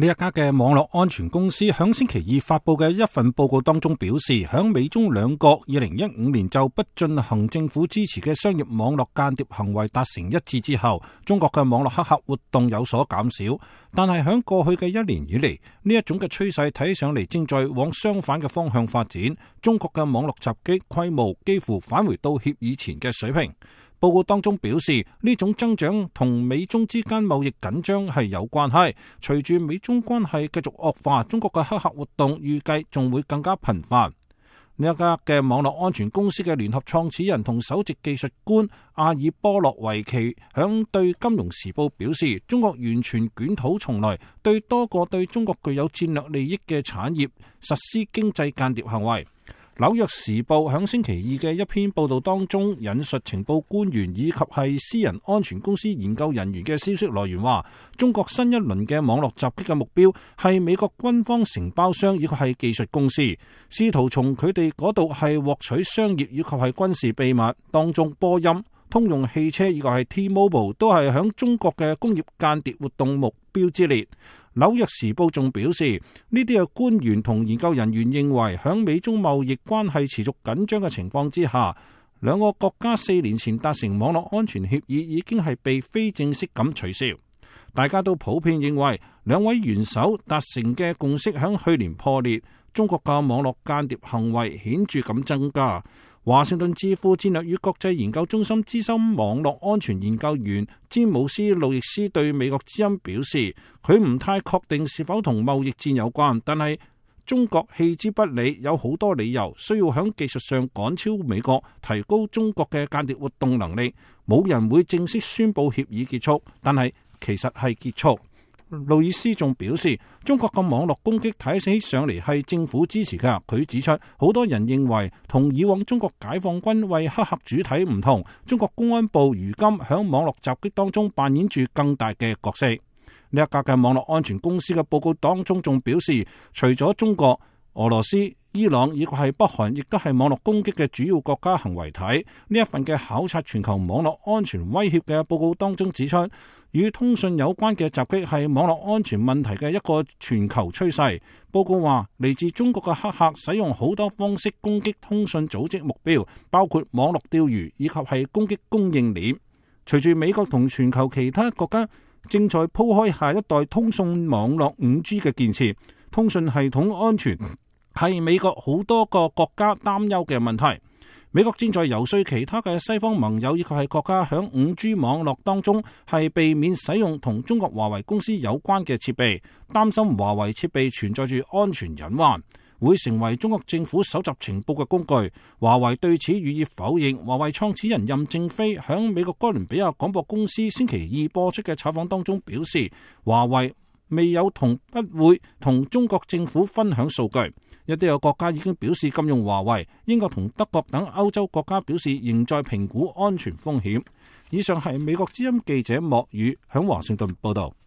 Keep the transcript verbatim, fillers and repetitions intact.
呢一家嘅網絡安全公司響星期二發佈嘅一份報告當中表示，響美中兩國二零一五年就不進行政府支持嘅商業網絡間諜行為達成一致之後，中國嘅網絡黑客活動有所減少。但係響過去嘅一年以嚟，呢一種嘅趨勢睇上嚟正在往相反嘅方向發展。中國嘅網絡襲擊規模幾乎返回到協議前嘅水平。報告當中表示，呢種增長同美中之間貿易緊張係有關係。隨住美中關係繼續惡化，中國嘅黑客活動預計仲會更加頻繁。呢一家嘅網絡安全公司嘅聯合創始人同首席技術官阿爾波洛維奇響對《金融時報》表示，中國完全捲土重來，對多個對中國具有戰略利益嘅產業實施經濟間諜行為。紐約時報響星期二嘅一篇報道當中引述情報官員以及係私人安全公司研究人員嘅消息來源話，中國新一輪嘅網絡襲擊嘅目標係美國軍方承包商以及係技術公司，試圖從佢哋嗰度係獲取商業以及係軍事秘密。當中波音、通用汽車以及係 T-Mobile 都係響中國嘅工業間諜活動目標之列。紐約時報仲表示，呢啲嘅官員同研究人員認為，響美中貿易關係持續緊張嘅情況之下，兩個國家四年前達成網絡安全協議已經係被非正式咁取消。大家都普遍認為，兩位元首達成嘅共識響去年破裂，中國嘅網絡間諜行為顯著咁增加。華盛頓智庫戰略與國際研究中心資深網絡安全研究員詹姆斯·路易斯對美國之音表示，佢唔太確定是否同貿易戰有關，但係中國棄之不理，有好多理由需要喺技術上趕超美國，提高中國嘅間諜活動能力。冇人會正式宣布協議結束，但係其實係結束。路易斯仲表示，中國嘅網絡攻擊睇起上嚟係政府支持㗎。佢指出，好多人認為同以往中國解放軍為黑客主體唔同，中國公安部如今響網絡襲擊當中扮演住更大嘅角色。呢一家嘅網絡安全公司嘅報告當中仲表示，除咗中國、俄羅斯、伊朗以及係北韓，亦都係網絡攻擊嘅主要國家行為體。呢一份嘅考察全球網絡安全威脅嘅報告當中指出，與通訊有關嘅襲擊係網絡安全問題嘅一個全球趨勢。報告話，嚟自中國嘅黑客使用好多方式攻擊通訊組織目標，包括網絡釣魚以及係攻擊供應鏈。隨住美國同全球其他國家正在鋪開下一代通訊網絡五 G 嘅建設，通訊系統安全係美國好多個國家擔憂嘅問題。美國正在游說其他嘅西方盟友以及係國家響五 G 網絡當中係避免使用同中國華為公司有關嘅設備，擔心華為設備存在住安全隱患，會成為中國政府搜集情報嘅工具。華為對此予以否認。華為創始人任正非響美國哥倫比亞廣播公司星期二播出嘅採訪當中表示，華為未有同不會同中國政府分享數據。一啲有國家已經表示禁用華為，英國同德國等歐洲國家表示仍在評估安全風險。以上係美國之音記者莫宇響華盛頓報道。